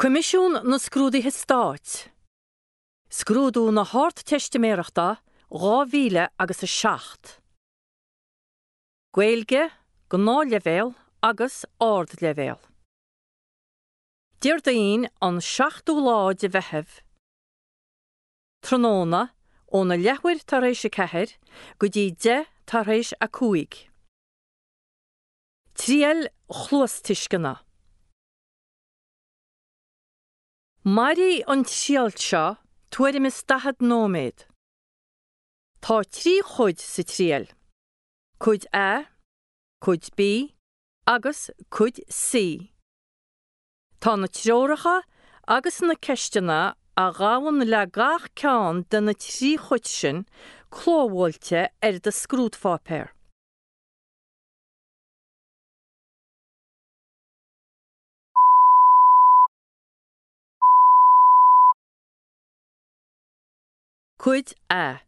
Coimisiún na Scrúduithe Stáit, Scrúdú na hArdteistiméireachta 2000 agus 7. Gaeilge, Gnáthleibhéal agus Ardleibhéal. Déardaoin an 7ú lá de Mheitheamh, tráthnóna, óna leathuair tar éis a 4 go dtí 10 tar éis a 5. Triail chluastuisceana. Mairfidh an triail seo tuairim is 40 nóiméad. Tá 3 chuid sa triail, Cuid A, Cuid B agus Cuid C. Tá na treoracha agus na ceisteanna a ghabhann le gach ceann de na 3 chuid sin clóbhuailte ar do scrúdpháipéar. Cuid A.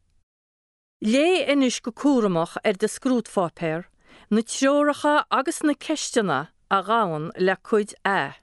Léigh anois go cúramach ar do scrúdpháipéar na treoracha agus na ceisteanna a ghabhann le Cuid A.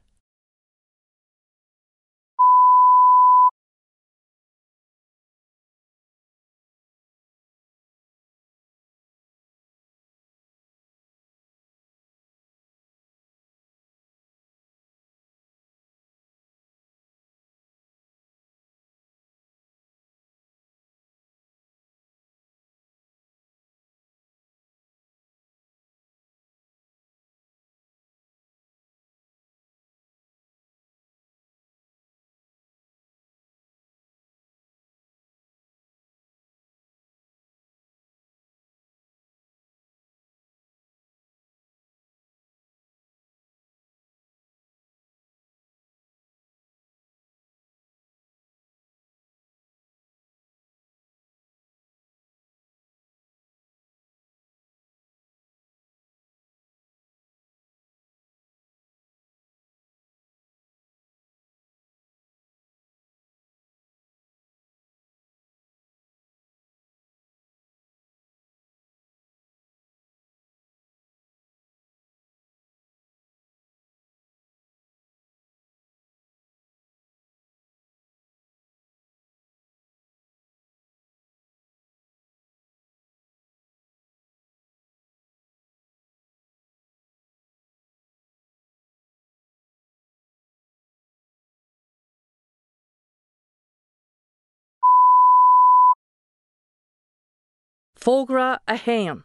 Fógra 1.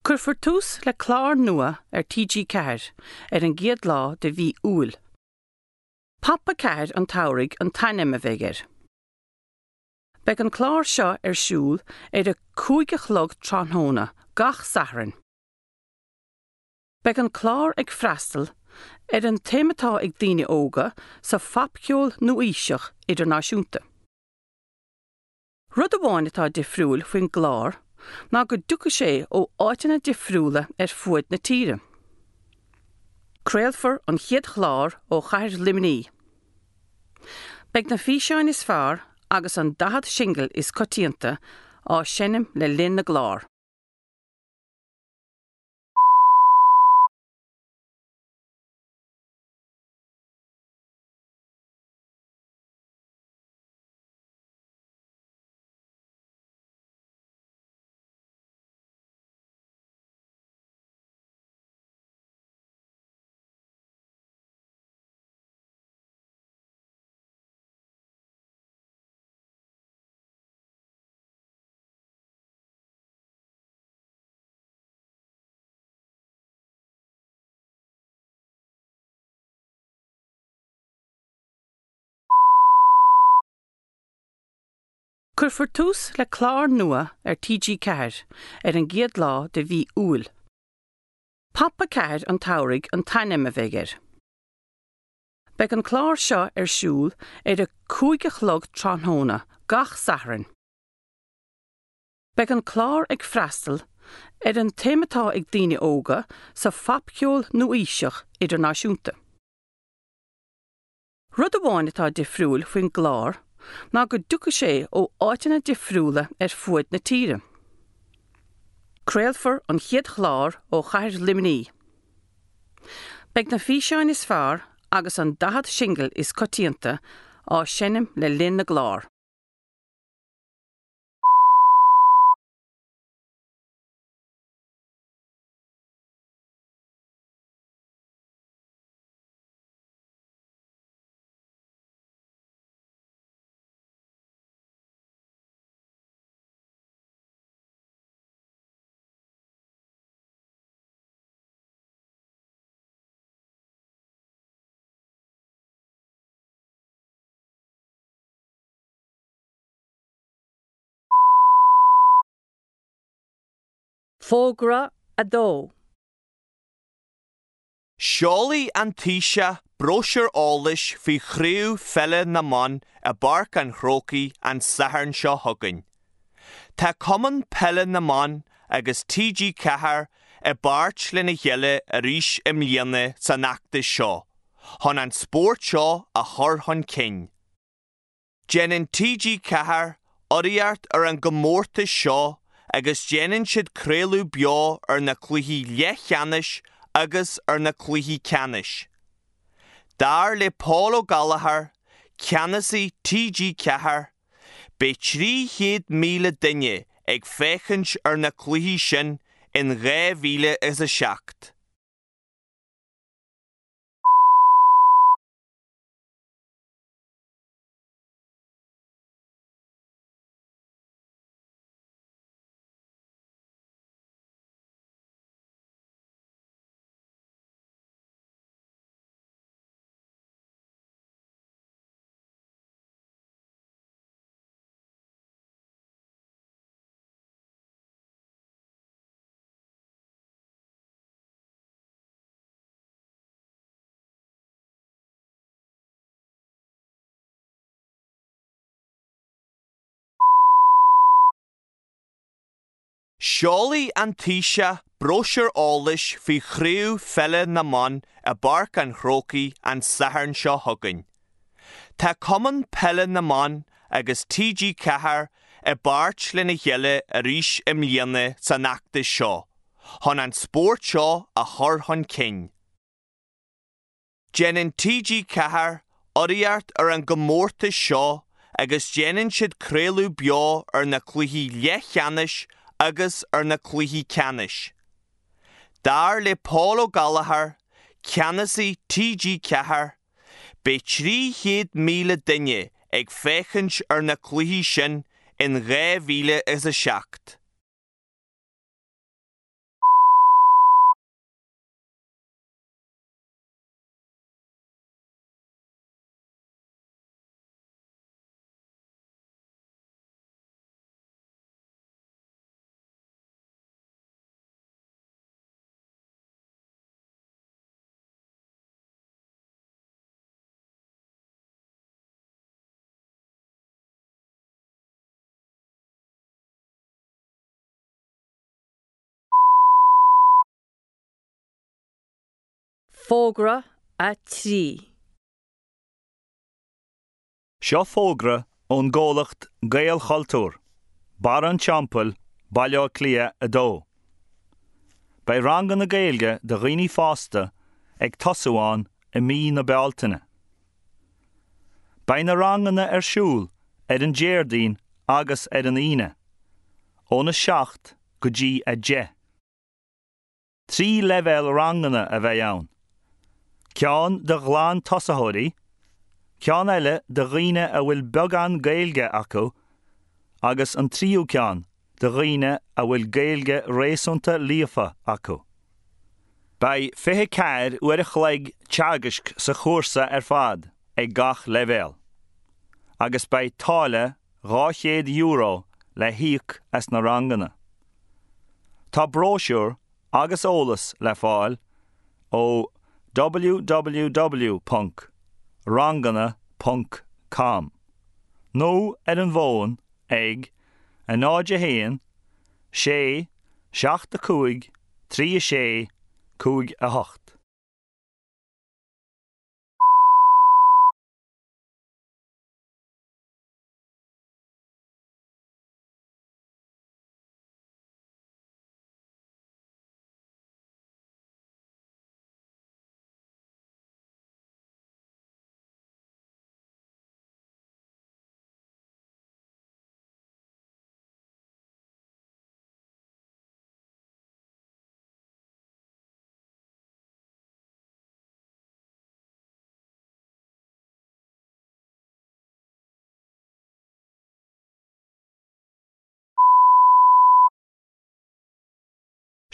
Cuirfear tús le clár nua ar TG4 ar an gcéad lá de mhí Iúil. Pop 4 an tSamhraidh an t-ainm a bheidh air. Beidh an clár seo ar siúl ar a 5 a chlog tráthnóna gach Satharn. Beidh an clár ag freastal ar an tsuim atá ag daoine óga sa phopcheol nua-aoiseach idirnáisiúnta. Rud amháin atá difriúil faoin gclár ná go dtiocfaidh sé ó áiteanna difriúla ar fuaid na tíre. Craolfar an chéad chlár ó chathair Luimnigh. Beidh na físeáin is fearr agus an 40 singil is coitianta á seinm le linn na gclár. Cuirfear tús le clár nua ar TG4 ar an gcéad lá de mhí Iúil. Pop 4 an tSamhraidh an t-ainm a bheidh air. Beidh an clár seo ar siúl ar a 5 a chlog tráthnóna gach Satharn. Beidh an clár ag freastal ar an tsuim atá ag daoine óga sa phopcheol nua-aoiseach idirnáisiúnta. Rud amháin atá difriúil faoin gclár ná go dtiocfaidh sé ó áiteanna difriúla ar fuaid na tíre. Craolfar an chéad chlár ó chathair Luimnigh. Beidh na físeáin is fearr agus an 40 singil is coitianta á seinm le linn na gclár. Fógra 2. Seolfaidh an Taoiseach bróisiúr eolais faoi Chraobh Pheile na mBan i bPáirc an Chrócaigh an Satharn seo chugainn. Tá Cumann Peile na mBan agus TG4 i bpáirt lena chéile arís i mbliana san fheachtas seo chun an spórt seo a chur chun cinn. Déanann TG4 urraíocht ar an gcomórtas seo agus déanann siad craoladh beo ar na cluichí leathcheannais agus ar na cluichí ceannais. Dar le Paul Ó Gallchóir, ceannasaí TG4, beidh 300,000 duine ag féachaint ar na cluichí sin in 2007. Seolfaidh an Taoiseach bróisiúr eolais faoi Chraobh Pheile na mBan i bPáirc an Chrócaigh an Satharn seo chugainn. Tá Cumann Peile na mBan agus TG4 i bpáirt lena chéile arís i mbliana san fheachtas seo chun an spórt seo a chur chun cinn. Déanann TG4 urraíocht ar an gcomórtas seo agus déanann siad craoladh beo ar na cluichí leathcheannais agus ar na cluichí ceannais. Dar le Paul Ó Gallchóir, ceannasaí TG4, beidh 300,000 duine ag féachaint ar na cluichí sin in 2007. Fógra 3. Seo fógra ón gcomhlacht Gaelchultúr, Barra an Teampaill, Baile Átha Cliath 2. Beidh ranganna Gaeilge do dhaoine fásta ag tosú ann i mí na Bealtaine. Beidh na ranganna ar siúl ar an Déardaoin agus ar an Aoine, óna 7 go dtí 10. 3 leibhéal ranganna a bheidh ann, ceann do ghlan-tosaitheoirí, ceann eile do dhaoine a bhfuil beagán Gaeilge acu agus an tríú ceann do dhaoine a bhfuil Gaeilge réasúnta líofa acu. Beidh 24 uair a chloig teagaisc sa chúrsa ar fad ag gach leibhéal, agus beidh táille €200 le híoc as na ranganna. Tá bróisiúr agus eolas le fáil ó www.ranganna.com nó ar an bhfón ag 0 1 6 7 5 3 6 5 8.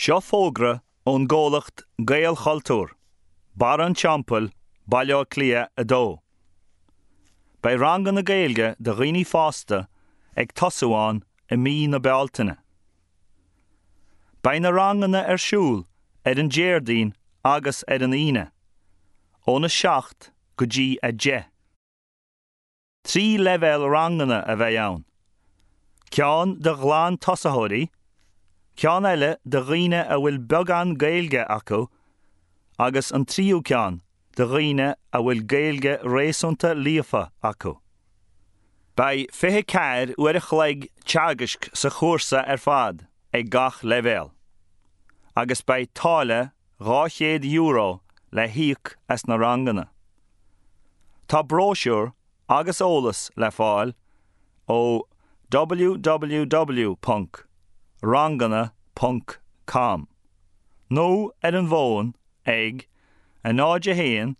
Seo fógra ón gcomhlacht Gaelchultúr, Barra an Teampaill, Baile Átha Cliath 2. Beidh ranganna Gaeilge do dhaoine fásta ag tosú ann i mí na Bealtaine. Beidh na ranganna ar siúl ar an Déardaoin agus ar an Aoine, óna 7 go dtí 10. 3 leibhéal ranganna a bheidh ann, ceann do ghlan-tosaitheoirí, ceann eile do dhaoine a bhfuil beagán Gaeilge acu agus an tríú ceann do dhaoine a bhfuil Gaeilge réasúnta líofa acu. Beidh 24 uair a chloig teagaisc sa chúrsa ar fad ag gach leibhéal, agus beidh táille €200 le híoc as na ranganna. Tá bróisiúr agus eolas le fáil ó www.ranganna.com nó ar an bhfón ag 0 1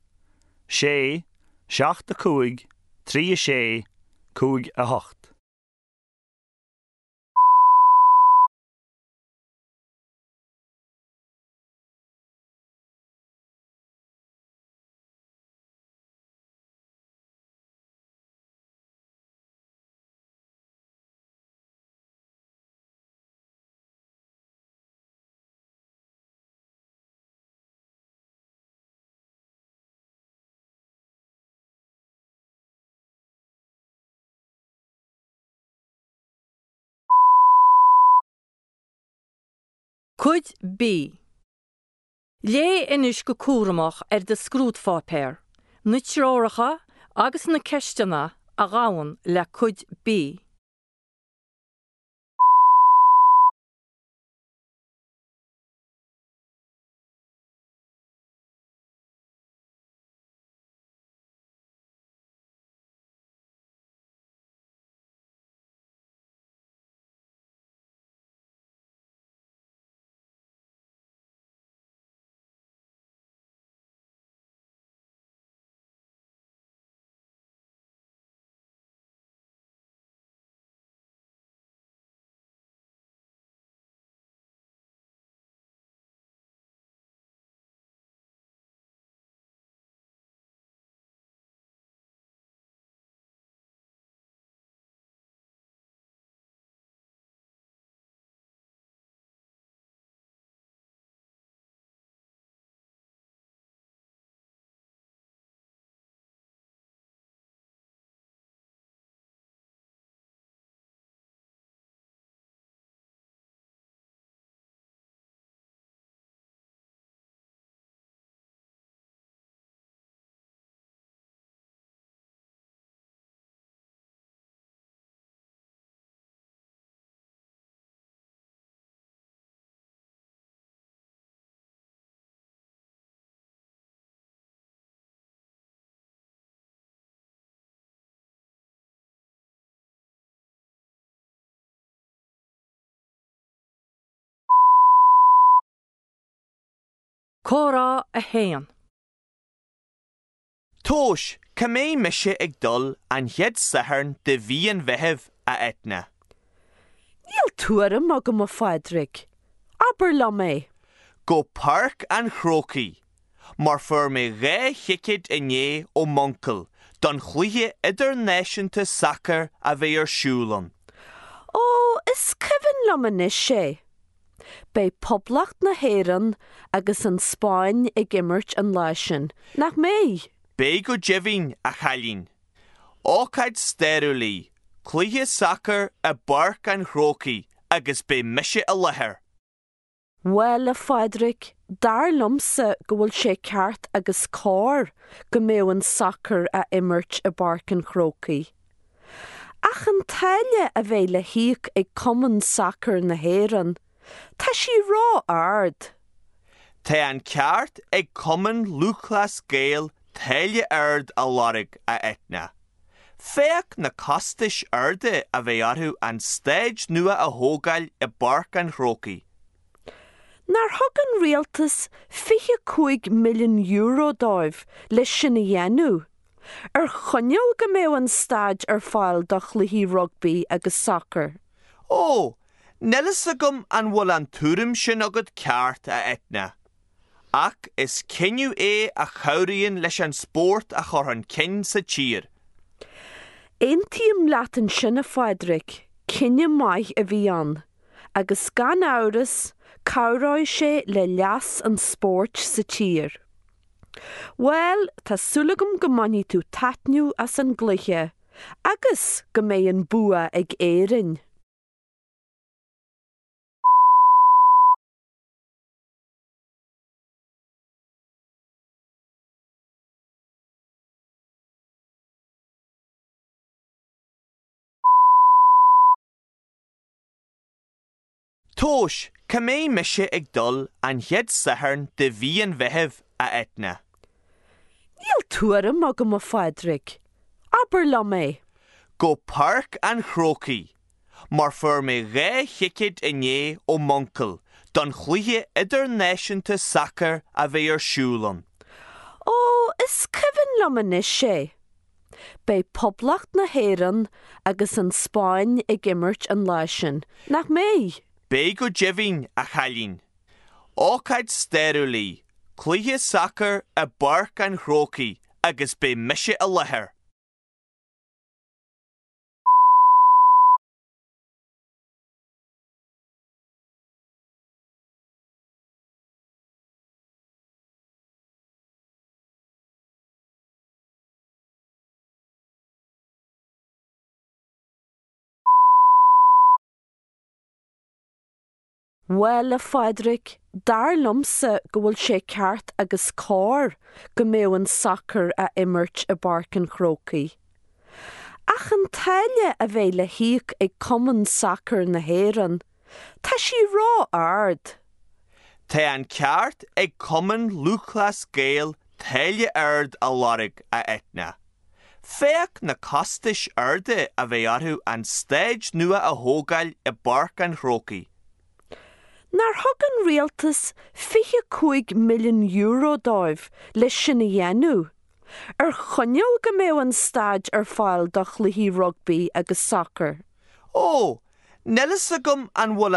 6 7 5 3 6 5 8. Cuid B. Léigh anois go cúramach ar do scrúdpháipéar, na treoracha agus na ceisteanna a ghabhann le Cuid B. Comhrá 1. Tomhais, cá mbeidh mise ag dul an chéad Satharn de mhí an Mheithimh, a Eithne? Níl tuairim agam, a Phádraig. Abair liom é. Go Páirc an Chrócaigh, mar fuair mé 2 thicéad inné ó m'uncail don chluiche idirnáisiúnta sacair a bheidh ar siúl ann. Ó, is cuimhin liom anois é. Beidh Poblacht na hÉireann agus an Spáinn ag imirt an lá sin, nach mbeidh? Beidh go deimhin, a chailín. Ócáid stairiúil í, cluiche sacair i bPáirc an Chrócaigh agus beidh mise i láthair. Bhuel, a Phádraig, dar liomsa go bhfuil sé ceart agus cóir go mbeadh an sacar á imirt i bPáirc an Chrócaigh. Ach an táille a bheidh le híoc ag Cumann Sacair na hÉireann, tá sí ró-ard. Tá an ceart ag Cumann Lúthchleas Gael táille ard a lorg, a Eithne. Féach na costais arda a bheidh orthu an staid nua a thógáil i bPáirc an Chrócaigh. Nár thug an rialtas €25 milliún dóibh leis sin a dhéanamh? Ar choinníoll go mbeadh an staid ar fáil do chluichí rugbaí agus sacair. Ó, Níl fhios agam an bhfuil an tuairim sin agat ceart, a Eithne. Ach is cinneadh é a chabhraíonn leis an spórt a chur chun cinn sa tír. Aontaím leat ansin, a Phádraig, cinneadh maith a bhí ann, agus gan amhras, cabhróidh sé le leas an spóirt sa tír. Bhuel, tá súil agam go mbainfidh tú taitneamh as an gcluiche, agus go mbeidh an bua ag Éirinn! Tomhais, cá mbeidh mise ag dul an chéad Satharn de mhí an Mheithimh, a Eithne? Níl tuairim agam, a Phádraig. Abair liom é. Go Páirc an Chrócaigh, mar fuair mé 2 thicéad inné ó m'uncail don chluiche idirnáisiúnta sacair a bheidh ar siúl ann. Ó, is cuimhin liom anois é. Beidh Poblacht na hÉireann agus an Spáinn ag imirt an lá sin, nach mbeidh? Beidh go deimhin, a chailín. Ócáid stairiúil í, cluiche sacair i bPáirc an Chrócaigh agus beidh mise i láthair. Bhuel, a Phádraig, dar liomsa go bhfuil sé ceart agus cóir go mbeadh an sacar á imirt i bPáirc an Chrócaigh. Ach an táille a bheidh le híoc ag Cumann Sacair na hÉireann, tá sí ró-ard. Tá an ceart ag Cumann Lúthchleas Gael táille ard a lorg, a Eithne. Féach na costais arda a bheidh orthu an staid nua a thógáil i bPáirc an Chrócaigh. Nár thug an rialtas €25 milliún dóibh leis sin a dhéanamh, ar choinníoll go mbeadh an staid ar fáil do chluichí rugbaí agus sacair? Ó, níl fhios agam an bhfuil an.